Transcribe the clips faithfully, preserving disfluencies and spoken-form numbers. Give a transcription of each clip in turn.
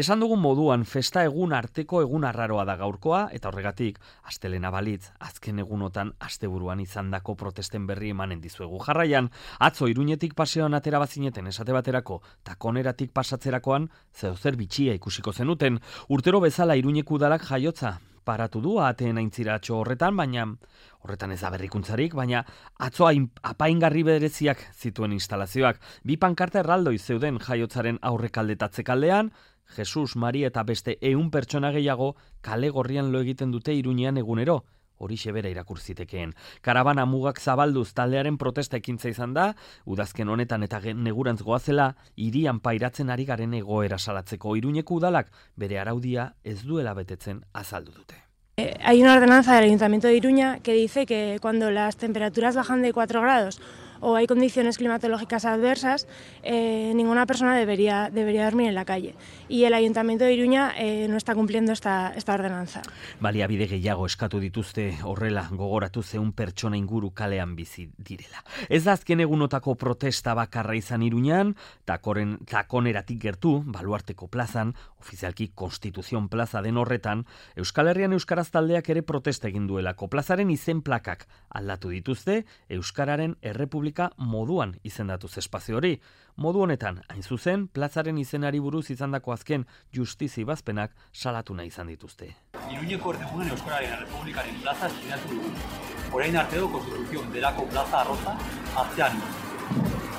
Esan dugun moduan, festa egun arteko egun arraroa da gaurkoa, eta horregatik, astelena balitz, azken egunotan asteburuan izandako protesten berri emanen dizuegu. Jarraian, atzo Iruñetik paseoan atera bazineten esate baterako, takoneratik pasatzerakoan, zeozer bitxia ikusiko zenuten. Urtero bezala Iruñeko udalak jaiotza paratu du ahateen aintziratxo horretan, baina horretan ez da berrikuntzarik, baina atzo apaingarri bereziak zituen instalazioak. Bi pankarta erraldoi zeuden jaiotzaren aurrekaldetatze kaldean, Jesus, Mari eta beste ehun pertsona gehiago kale gorrian lo egiten dute Iruñean egunero. Horixe bera irakurzitekeen. Karabana mugak zabalduz taldearen protesta ekintza izan da, udazken honetan eta negurantz goazela, hirian pairatzen ari garen egoera salatzeko. Iruñeko udalak bere araudia ez duela betetzen azaldu dute. Eh, hay una ordenanza del Ayuntamiento de Iruña que dice que cuando las temperaturas bajan de cuatro grados o hay condiciones climatológicas adversas, eh, ninguna persona debería, debería dormir en la calle. Y el Ayuntamiento de Iruña eh, no está cumpliendo esta, esta ordenanza. Baliabide gehiago eskatu dituzte horrela gogoratu zeun pertsona inguru kalean bizi direla. Ez da azken egunotako protesta bakarra izan Iruñan, takoren, takoneratik gertu, Baluarteko plazan, ofizialki Konstituzion plaza den horretan, Euskal Herrian Euskaraz taldeak ere protesta egin duelako. Plazaren izen plakak aldatu dituzte, Euskararen Errepublika moduan izendatuz espazio hori. Modu honetan, hain zuzen, plazaren izenari buruz izandako azken justizi bazpenak salatu nahi izan dituzte. Iruñeko errepublikan Euskararen Errepublikaren plaza eskinatu dugu. Orain arte do Konstituzion delako plaza arroza aztean.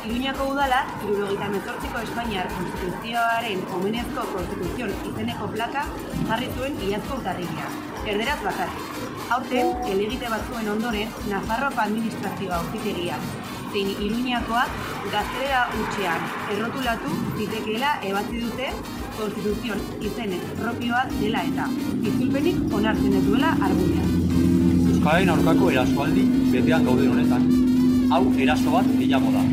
Iruñako udala, hirurogeita hemezortziko Espainiar Konstituzioaren omenezko Konstituzion izeneko plaka jarri zuen iazko urtarrilean, erderaz bakarrik. Aurten, helegite batzuen ondoren, Nafarroako administrazioa auzitegia zein Iruñakoak gaztelera hutsean errotulatu zitekeela ebatzi dute Konstituzion izenez propioa dela eta itzulpenik onartzen ez duela argudia. Euskararen aurkako erasoaldi betean gauden honetan, hau eraso bat gehiago da.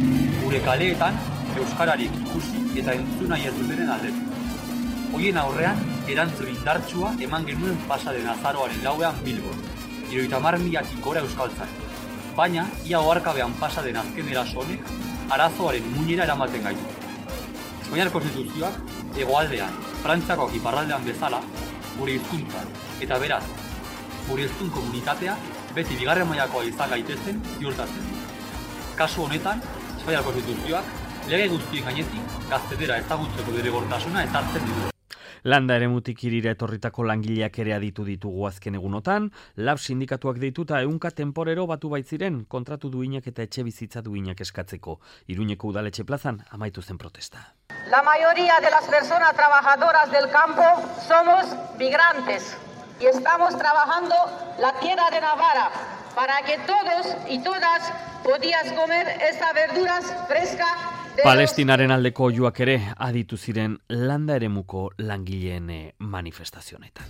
Gure kaleetan euskararik ikusi eta entzun nahi ez dutenen aldetik. Hoien aurrean erantzun indartsua eman genuen pasa den azaroaren lauean Bilbon, hirurogeita hamar milatik gora euskaltzan. Baina, ia oharkabean pasa den azken eraso honek arazoaren muinera eramaten gaitu. Espainiar Konstituzioak hegoaldean, Frantziakoak iparraldean bezala, gure hizkuntzan eta beraz, gure hiztun komunitatea beti bigarren mailakoa izan gaitezen ziurtatzen. Kasu honetan, Espainiar Konstituzioak lege guztien gainetik gaztelera ezagutzeko derrigortasuna ezartzen ditu. Landa eremutik hirira etorritako langileak ere aditu ditugu azken egunotan, lab sindikatuak deituta ehunka temporero batu baitziren kontratu duinak eta etxe bizitza duinak eskatzeko. Iruñeko udaletxe plazan amaitu zen protesta. La mayoría de las personas trabajadoras del campo somos migrantes y estamos trabajando la tierra de Navarra para que todos y todas podías comer estas verduras frescas. Palestinaren aldeko oihuak ere aditu ziren landa eremuko langileen manifestazionetan.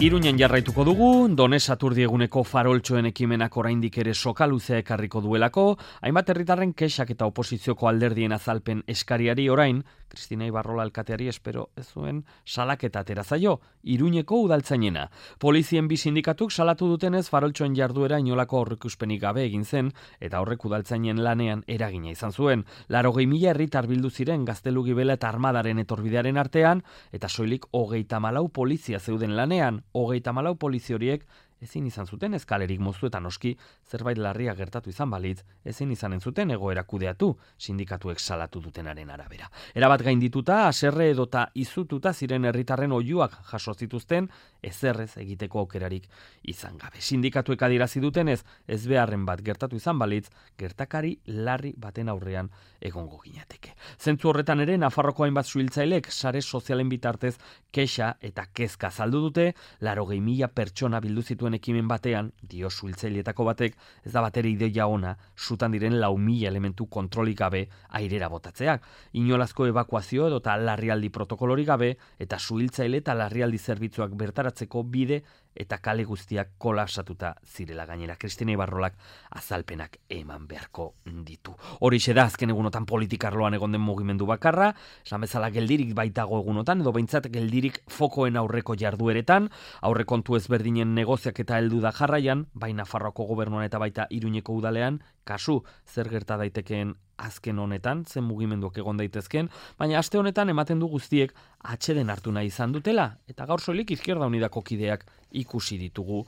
Iruñan jarraituko dugu, Donez Aturdieguneko faroltxoen ekimenak oraindik ere sokaluzea ekarriko duelako, hainbat herritarren kexak eta oposizioko alderdien azalpen eskariari orain, Kristina Ibarrola alkateari espero ez zuen salaketa atera zaio, Iruñeko udaltzainena. Polizien bi sindikatuk salatu dutenez faroltxoen jarduera inolako aurreikuspenik gabe egin zen, eta horrek udaltzainen lanean eragina izan zuen. Laurogei mila herritar bildu ziren Gaztelu Gibela eta Armadaren etorbidearen artean, eta soilik hogeita hamalau polizia zeuden lanean, hogeita hamalau polizi horiek ezin izan zuten eskalerik moztu eta noski zerbait larria gertatu izan balitz, ezin izanen zuten egoera kudeatu, sindikatuek salatu dutenaren arabera. Erabat gaindituta, haserre edota izututa ziren herritarren oihuak jaso zituzten, ezerrez egiteko aukerarik izan gabe. Sindikatuek adierazi dutenez, ez beharren bat gertatu izan balitz, gertakari larri baten aurrean egongo ginateke. Zentzu horretan ere, Nafarroko hainbat suhiltzailek sare sozialen bitartez kexa eta kezka azaldu dute, laurogei mila pertsona bildu zituen ekimen batean, dio suhiltzailetako batek, ez da batere ideia ona, sutan diren lau mila elementu kontrolik gabe airera botatzeak. Inolazko evakuazio edota larrialdi protokolorik gabe, eta suhiltzaile eta larrialdi zerbitzuak bertaratzeko bide eta kale guztiak kolapsatuta zirela gainera. Kristina Ibarrolak azalpenak eman beharko ditu. Horixe da azken egunotan politikarloan egon den mugimendu bakarra, esan bezala geldirik baitago egunotan, edo behintzat geldirik fokoen aurreko jardueretan, aurrekontu ezberdinen negoziak eta heldu da jarraian, bai Nafarroako gobernuan eta baita Iruñeko udalean, kasu zer gerta daitekeen azken honetan, zen mugimenduak egon daitezken, baina aste honetan ematen du guztiek atxeden hartu nahi izan dutela, eta gaur soilik Izquierda Unidako kideak ikusi ditugu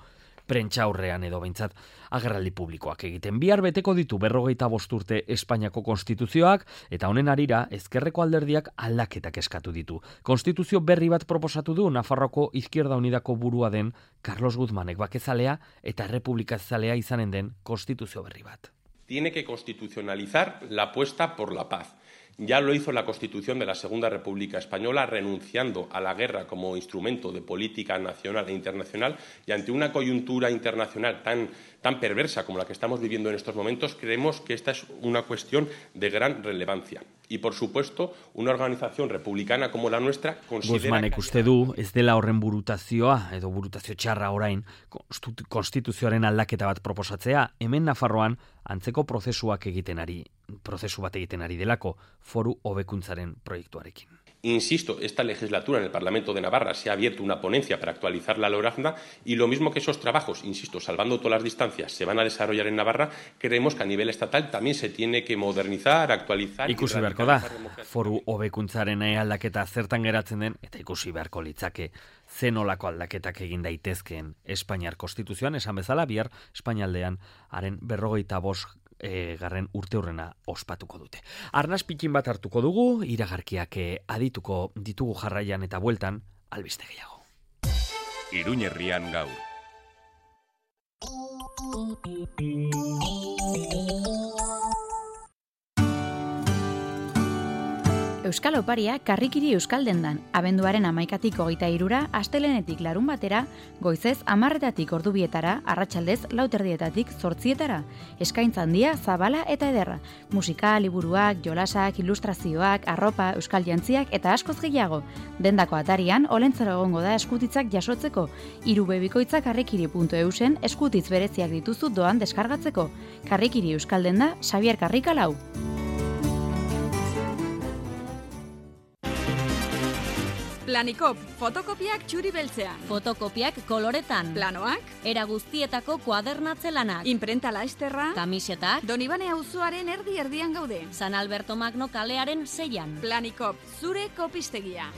prentsa aurrean edo behintzat agerraldi publikoak egiten. Bihar beteko ditu berrogeita bost urte Espainiako konstituzioak, eta honen harira ezkerreko alderdiak aldaketak eskatu ditu. Konstituzio berri bat proposatu du Nafarroako Izquierda Unidako burua den Carlos Guzmanek, bakezalea eta errepublikazalea izanen den konstituzio berri bat. Tiene que constitucionalizar la apuesta por la paz. Ya lo hizo la Constitución de la Segunda República Española, renunciando a la guerra como instrumento de política nacional e internacional, y ante una coyuntura internacional tan, tan perversa como la que estamos viviendo en estos momentos, creemos que esta es una cuestión de gran relevancia. Y, por supuesto, una organización republicana como la nuestra considera... Guzmanek uste du, ez dela horren burutazioa, edo burutazio txarra orain, konstituzioaren aldaketa bat proposatzea, hemen Nafarroan antzeko prozesuak egiten ari, prozesu bat egiten ari delako, foru hobekuntzaren proiektuarekin. Insisto, esta legislatura en el Parlamento de Navarra se ha abierto una ponencia para actualizar la LORAZNA y lo mismo que esos trabajos, insisto, salvando todas las distancias, se van a desarrollar en Navarra, creemos que a nivel estatal también se tiene que modernizar, actualizar... Ikusi beharko da, foru hobekuntzaren aldaketa zertan geratzen den, eta ikusi beharko litzake zenolako aldaketak egin daitezkeen Espainiar Konstituzioan, esan bezala, bihar Espainialdean haren berrogeita bost E, garren urte hurrena ospatuko dute. Arnaz pikin bat hartuko dugu, iragarkiak adituko ditugu jarraian eta bueltan, albiste gehiago. Iruñerrian gaur. Euskal Oparia Karrikiri Euskaldendan, abenduaren hamaikatik hogeita hirura, astelenetik larun batera, goizez hamarretatik ordubietara, arratsaldez lauterdietatik zortzietara. Eskaintza handia, zabala eta ederra. Musika, liburuak, jolasak, ilustrazioak, arropa, euskal jantziak eta askoz gehiago. Dendako atarian, olentzero egongo da eskutitzak jasotzeko. Hiru bebikoitza karrikiri puntu eusen eskutitz bereziak dituzu doan deskargatzeko. Karrikiri Euskaldenda, Xabier Karrikalau. Planikop, fotokopiak txuri beltzean. Fotokopiak koloretan. Planoak. Era guztietako kuadernatze lanak. Imprenta laesterra. Kamisetak. Donibane auzoaren erdi erdian gaude. San Alberto Magno kalearen seian. Planikop, zure kopistegia.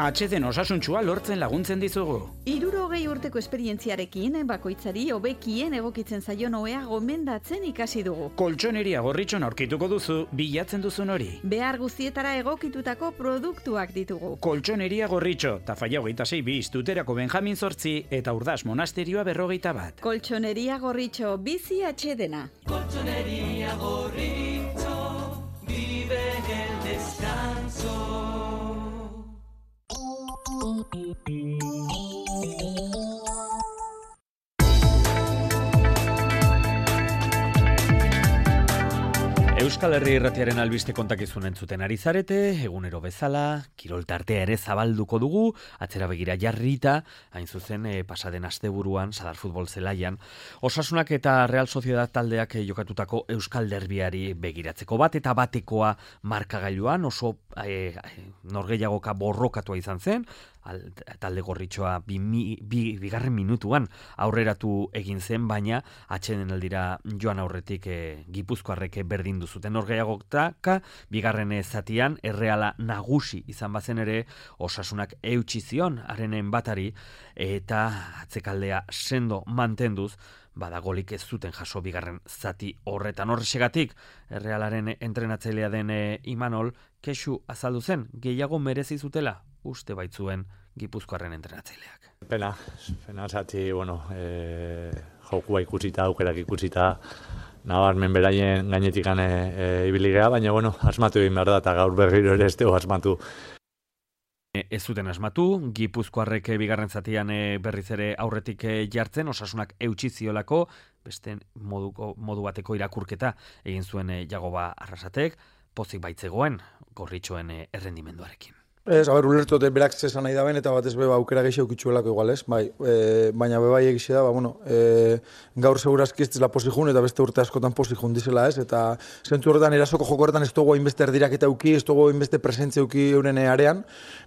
Atxeden osasuntsua lortzen laguntzen dizugu. Hirurogei urteko esperientziarekin, bakoitzari hobekien egokitzen zaion ohea gomendatzen ikasi dugu. Koltxoneria Gorritxon aurkituko duzu bilatzen duzun hori. Behar guztietara egokitutako produktuak ditugu. Koltxoneria Gorritxo, Tafalla hogeita sei bi, Tuterako Benjamin zortzi eta Urdaz Monasterioa berrogeita bat. Koltxoneria Gorritxo, bizi atxedena. Koltxoneria Gorritxo, vive el descanso. Euskal Herri Irratiaren albiste kontakizun entzuten ari zarete, egunero bezala, kirol tartea ere zabalduko dugu, atzera begira jarrita, hain zuzen e, pasaden asteburuan, Sadar Futbol zelaian, Osasunak eta Real Sociedad taldeak e, jokatutako Euskal Derbiari begiratzeko bat eta batekoa markagailuan oso e, norgehiagoka borrokatua izan zen, Al, talde gorritxoa bi, bi, bigarren minutuan aurreratu egin zen, baina atxeden aldira joan aurretik e, Gipuzkoarrek berdindu zuten. Norgehiagotaka bigarren zatian Erreala nagusi izan bazen ere Osasunak eutsi zion harenen batari eta atzekaldea sendo mantenduz badagolik ez zuten jaso bigarren zati horretan. Horrexegatik Errealaren entrenatzailea den e, Imanol kexu azaldu zen, gehiago merezi zutela uste baitzuen Gipuzkoarren entrenatzaileak. Pena, pena zati, bueno, e, jokua ikusita, aukerak ikusita, nabarmen beraien gainetik gane e, ibiligea, baina, bueno, asmatu egin behar da, eta gaur berriro ere ez dugu asmatu. Ez zuten asmatu, Gipuzkoarrek bigarren zatian berriz ere aurretik jartzen, Osasunak eutsi ziolako, beste moduko, modu bateko irakurketa egin zuen Jagoba Arrasatek, pozik baitzegoen gorritxoen errendimenduarekin. Ez, a ber, ulertote berak zesan nahi da ben, eta batez beba aukera gehiago kitxuelako igual, ez? Bai, e, baina bebai egixe da, ba, bueno, e, gaur segurazki ez dizela posijun, eta beste urte askotan posijun dizela, ez? Eta zentzu horretan, erasoko joko horretan ez dugu hainbeste erdirak eta uki, ez dugu hainbeste presentzia uki euren arean,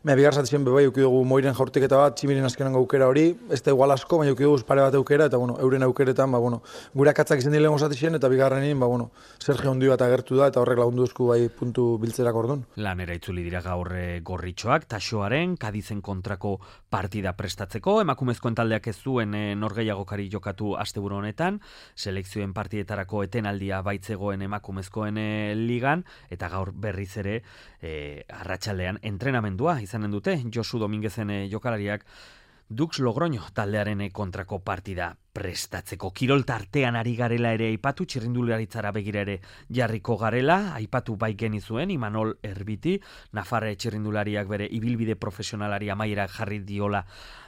mea bigar zatizien bebai uki dugu moiren jaurtiketa bat, tximiren azkenan aukera hori, ez da igual asko, baina uki dugu pare bat aukera, eta bueno, euren aukeretan, ba, bueno, gure akatzak izan dilen zatizien, eta bigarrenin, ba, bueno, Sergio Ondi bat agertu da, eta horrek lagundu duzku bai puntu biltzerak ordun. Lanera itzuli dira gaur gorritxoak, Taxoaren Kadizen kontrako partida prestatzeko, emakumezkoen taldeak ez zuen e, norgehiagokari jokatu asteburu honetan, selekzioen partidetarako etenaldia baitzegoen emakumezkoen e, ligan, eta gaur berriz ere e, arratsaldean entrenamendua izanen dute Josu Dominguezen e, jokalariak Dux Logroño taldearen kontrako partida prestatzeko. Kirol tartean ari garela ere aipatu, txirrindularitzara begira ere jarriko garela, aipatu bai genizuen, Imanol Erbiti, Nafarre txirrindulariak bere ibilbide profesionalari amaiera jarri diola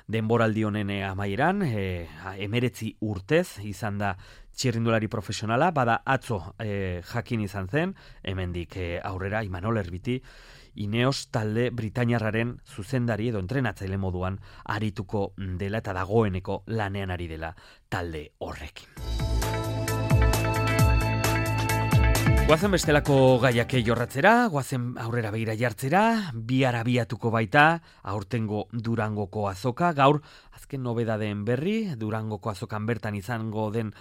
denboraldi honen amaieran, e, emeretzi urtez izan da txirrindulari profesionala, bada atzo e, jakin izan zen, hemendik e, aurrera Imanol Erbiti, Ineos talde Britainiarraren zuzendari edo entrenatzaile moduan arituko dela eta dagoeneko lanean ari dela talde horrekin. Guazen bestelako gaiak jorratzera, guazen aurrera begira jartzera, bihar abiatuko baita, aurtengo Durangoko azoka, gaur azken nobedadeen berri, Durangoko azokan bertan izango den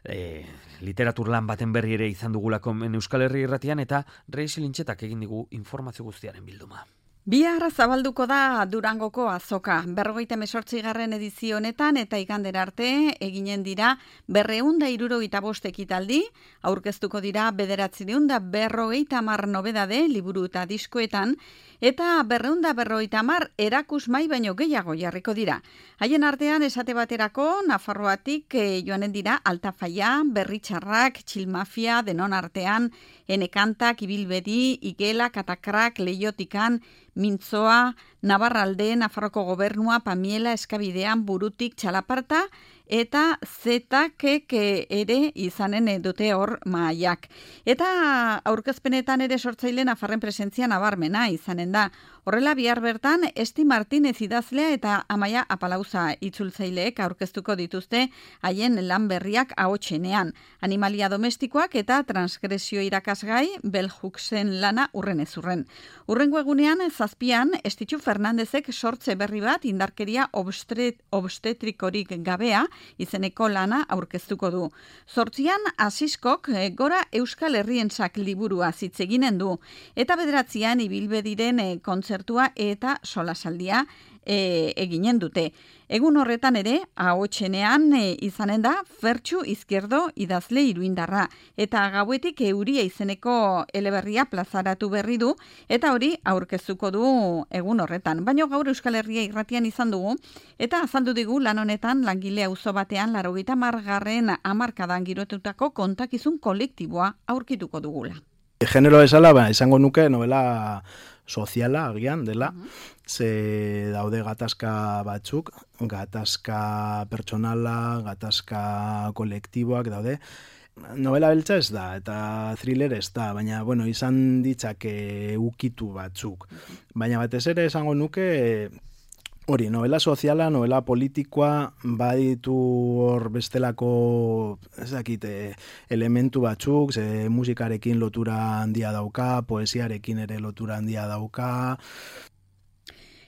E, literatur lan baten berri ere izan dugulako Euskal Herri irratian, eta Reixi Lintxetak egin digu informazio guztiaren bilduma. Bihar zabalduko da Durangoko azoka, berrogeita mesortzigarren edizio honetan eta igandera arte eginen dira berreun da hirurogeita bost ekitaldi, aurkeztuko dira bederatziehun da berrogeita hamar nobedade liburu eta diskoetan, eta berreun da berrogeita hamar erakusmai baino gehiago jarriko dira. Haien artean esate baterako Nafarroatik e, joanen dira Altafaia, Berritxarrak, Txilmafia, denon artean, Enekantak, Ibilbedi, Igela, Katakrak, Leiotikan, Mintzoa, Navarralde, Nafarroko Gobernua, Pamiela, Eskabidean, Burutik, Txalaparta, eta zetakek ere izanen dute hor maaiak. Eta aurkezpenetan ere sortzaile Nafarren presentzia nabarmena izanen da. Horrela bihar bertan, Esti Martinez idazlea eta Amaia Apalauza itzultzaileek aurkeztuko dituzte haien lan berriak ahotsenean. Animalia domestikoak eta transgresio irakasgai Belhuksen lana urren ez urren. Urrengo egunean, zazpian, Estitxu Fernandezek sortze berri bat indarkeria obstet, obstetrikorik gabea izeneko lana aurkeztuko du. Zortzian, Asiskok gora Euskal Herrientzak liburua zitzeginen du, eta bederatzian ibilbediren kontzertua eta solasaldia e, eginen dute. Egun horretan ere, ahotsenean e, izanen da Fertxu Izquierdo idazle iruindarra, eta gauetik euria izeneko eleberria plazaratu berri du, eta hori aurkeztuko du egun horretan. Baina gaur Euskal Herria irratian izan dugu, eta azaldu digu lan honetan langile auzo batean laurogeita hamargarren hamarkadan girotutako kontakizun kolektiboa aurkituko dugula. Genero esala, ba, izango nuke novela soziala agian dela, ze daude gatazka batzuk, gatazka pertsonala, gatazka kolektiboak daude. Novela beltza ez da, eta thriller ez da, baina bueno, izan ditzake ukitu batzuk. Baina batez ere esango nuke hori, novela soziala, novela politikoa, baditu hor bestelako ez dakit, elementu batzuk, ze musikarekin lotura handia dauka, poesiarekin ere lotura handia dauka.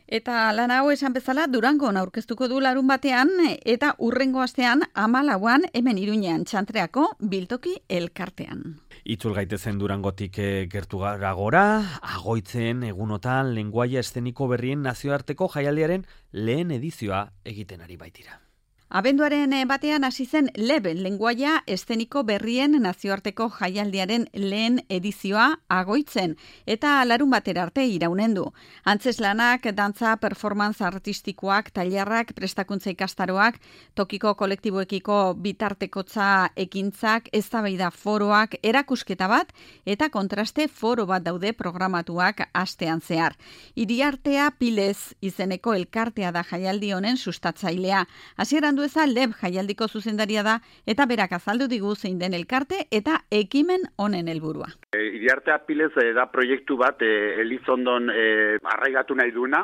Eta lan hau esan bezala Durangon aurkeztuko du larun batean, eta urrengo astean hamalauan hemen Iruñean Txantreako biltoki elkartean. Itzul gaitezen Durangotik gertu gara gora, Agoitzen egunotan lenguaia eszeniko berrien nazioarteko jaialdiaren lehen edizioa egiten ari baitira. Abenduaren batean hasi zen Leben lenguaia eszeniko berrien nazioarteko jaialdiaren lehen edizioa Agoitzen, eta larun batera arte iraunen du. Antzeslanak, dantza, performance artistikoak, tailerrak, prestakuntza ikastaroak, tokiko kolektiboekiko bitartekotza ekintzak, eztabaida foroak, erakusketa bat, eta kontraste foro bat daude programatuak astean zehar. Iriartea Pilez izeneko elkartea da jaialdi honen sustatzailea. Hasieran Andueza Leb jaialdiko zuzendaria da eta berak azaldu digu zein den elkarte eta ekimen honen helburua. E, Iriarte Apilez e, da proiektu bat e, Elizondon e, arraigatu nahi duna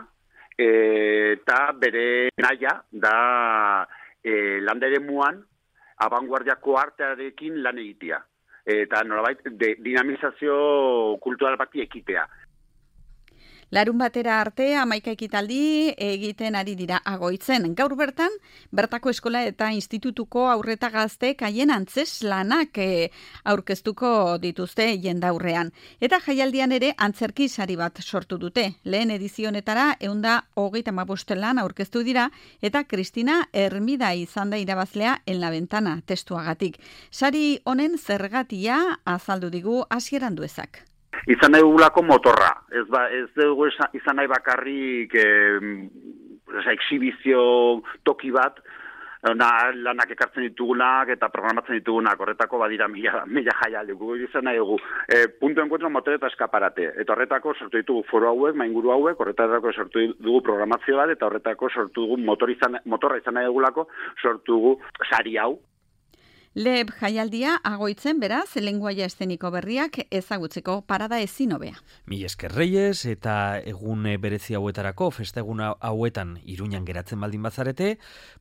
eta e, bere naia da e, landere muan abanguardiako artearekin lan egitea. Eta nolabait de, dinamizazio kultural bati ekitea. Larun batera arte hamaika ekitaldi egiten ari dira Agoitzen. Gaur bertan, bertako eskola eta institutuko aurreta gazteek haien antzes lanak e, aurkeztuko dituzte jendaurrean. Eta jaialdian ere antzerki sari bat sortu dute. Lehen edizionetara ehunda hogeita hamabost lan aurkeztu dira eta Kristina Hermida izan da irabazlea En la Ventana testuagatik. Sari honen zergatia azaldu digu Asier Anduezak. Izan nahi dugulako motorra, ez, ba, ez dugu izan nahi bakarrik eh, exhibizio toki bat, na, lanak ekartzen ditugunak eta programatzen ditugunak, horretako badira mila, mila jaialdi, gu izan nahi dugu. E, punto encuentro motor eta eskaparate, eta horretako sortu ditugu foro hauek, mainguru hauek, horretako sortu dugu programazio bat, eta horretako sortu dugu motor izan, motorra izan nahi dugulako, sortu dugu sari hau. Leb jaialdia Agoitzen beraz, lenguaia eszeniko berriak ezagutzeko parada ezin hobea. Mi esker Reyes eta egun berezi hauetarako, festa egun hauetan Iruñan geratzen baldin bazarete,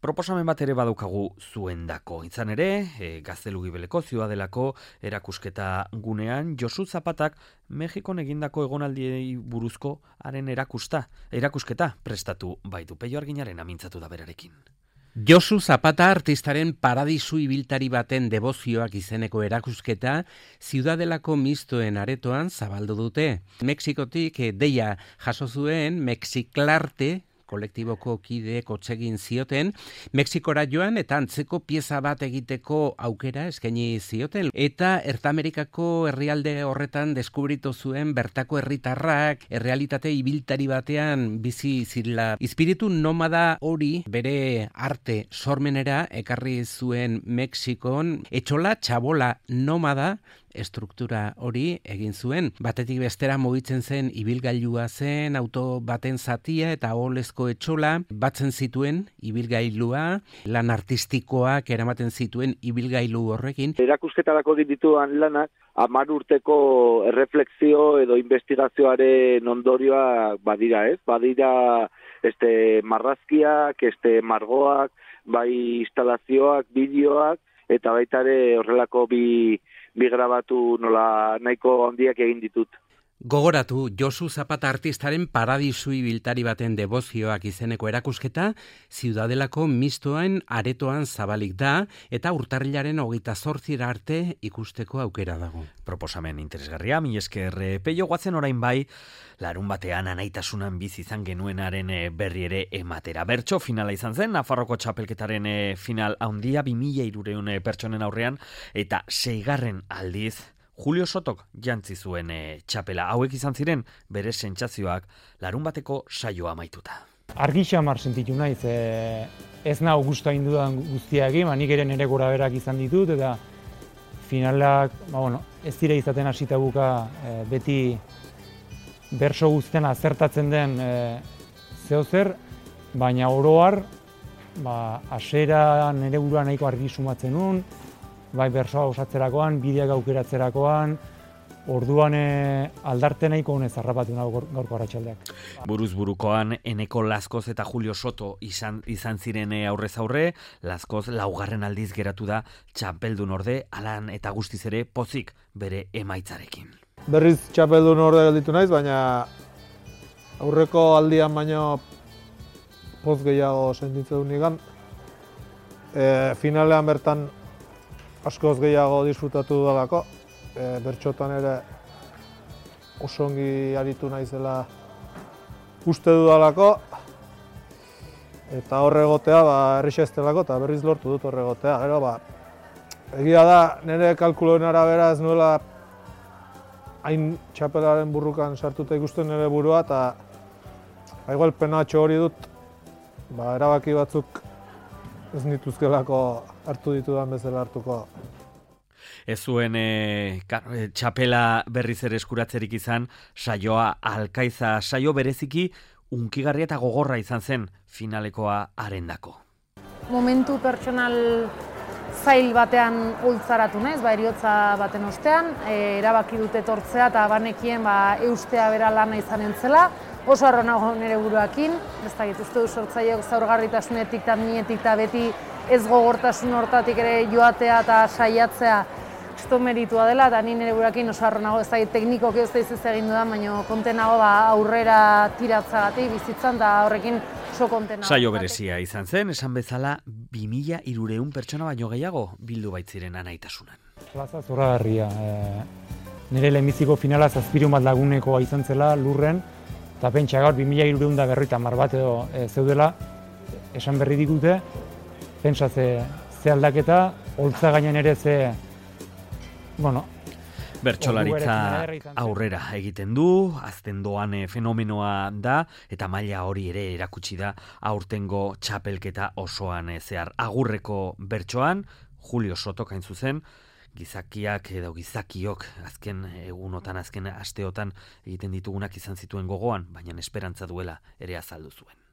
proposamen bat ere badukagu zuendako. Izan ere, e, Gaztelu Gibeleko Ziudadelako erakusketa gunean, Josu Zapatak Mexikon egindako egonaldiei buruzko haren erakusta, erakusketa prestatu baitu. Peio Arginaren amintzatu da berarekin. Josu Zapata artistaren paradisu ibiltari baten debozioak izeneko erakusketa Ziudadelako mistoen aretoan zabaldu dute. Mexikotik deia jaso zuen Mexiklarte kolektiboko kideek otsegin zioten, Mexikora joan eta antzeko pieza bat egiteko aukera eskaini zioten. Eta Ertamerikako herrialde horretan deskubritu zuen bertako herritarrak errealitate ibiltari batean bizi zirela. Espiritu nomada hori bere arte sormenera ekarri zuen Mexikon, etxola txabola nomada estruktura hori egin zuen. Batetik bestera mugitzen zen ibilgailua zen, auto baten zatia eta olezko etxola batzen zituen ibilgailua, lan artistikoak eramaten zituen ibilgailu horrekin. Erakusketarako dituan lanak hamar urteko erreflexio edo investigazioaren ondorioa badira, ez? Badira este marrazkiak, este margoak, bai instalazioak, bideoak eta baita ere horrelako bi bi grabatu nola nahiko handiak egin ditut. Gogoratu, Josu Zapata artistaren paradisu ibiltari baten debozioak izeneko erakusketa Ziudadelako mistoen aretoan zabalik da eta urtarrilaren hogeita zortzira arte ikusteko aukera dago. Proposamen interesgarria, mi esker Peio guatzen orain bai, larun batean anaitasunan bizi izan genuenaren berri ere ematera. Bertso finala izan zen, Nafarroko txapelketaren final handia, bi mila hirurehun pertsonen aurrean, eta seigarren aldiz, Julio Sotok jantzi zuen e, txapela. Hauek izan ziren bere sentsazioak larun bateko saioa amaituta. Argi xamar sentitu naiz, e, ez nau gustu egin dudan guztia egin, ba, nik ere nire gora berak izan ditut, eta finalak, ba, bueno, ez dira izaten hasita buka e, beti berso guztien azertatzen den e, zeozer, baina oroar, ba, hasera nire burua nahiko argi sumatzen nun, bai bersoa osatzerakoan, bideak aukeratzerakoan, orduan e, aldarte nahiko honez harrapatu nago gaurko arratsaldeak. Buruz burukoan Eneko Lazkoz eta Julio Soto izan, izan ziren aurrez aurre, Lazkoz laugarren aldiz geratu da txapeldun orde, alan eta guztiz ere pozik bere emaitzarekin. Berriz txapeldun orde gelditu naiz, baina aurreko aldian baino poz gehiago sentitzen du nigan. E, finalean bertan askoz gehiago disfrutatu dudalako, e, bertxotan ere oso ongi aritu naizela uste dudalako, eta horre egotea ba, errixa ez delako, eta berriz lortu dut horre egotea. Gero, ba, egia da, nire kalkuloen arabera ez nuela hain txapelaren burrukan sartuta ikusten nire burua, eta ba, igual penatxo hori dut, ba, erabaki batzuk ez nituzkelako hartu ditudan bezala hartuko. Ez zuen e, txapela berriz ere eskuratzerik izan, saioa Alkaiza saio bereziki unkigarria eta gogorra izan zen finalekoa harendako. momentu pertsonal zail batean ultzaratu naiz, ba, eriotza baten ostean, e, erabaki dute etortzea eta banekien ba, eustea bera lana izanen zela, oso harro nago nire buruakin, ez dakit, uste du sortzaileok zaurgarritasunetik eta minetik eta beti ez gogortasun hortatik ere joatea eta saiatzea esto meritua dela, eta ni nire buruakin oso harro nago, ez dakit, teknikoki ez da izaz egin dudan, baina kontenago ba, aurrera tiratzagatik bizitzan, eta horrekin oso kontenago. Saio berezia izan zen, esan bezala, bi mila hirurehun pertsona baino gehiago bildu baitziren anaitasunan. Plaza zoragarria. E, nire lehenbiziko finala zazpirun bat lagunekoa izan zela lurren, eta pentsa gaur bi mila hirurehun da berrogeita hamar bat edo e, zeudela, esan berri dikute, pentsa ze, ze aldaketa, holtza gainen ere ze, bueno, Bertsolaritza aurrera egiten du, azten doan fenomenoa da, eta maila hori ere erakutsi da aurtengo txapelketa osoan zehar. Agurreko bertsoan, Julio Sotok hain zuzen, gizakiak edo gizakiok azken egunotan, azken asteotan egiten ditugunak izan zituen gogoan, baina esperantza duela ere azaldu zuen.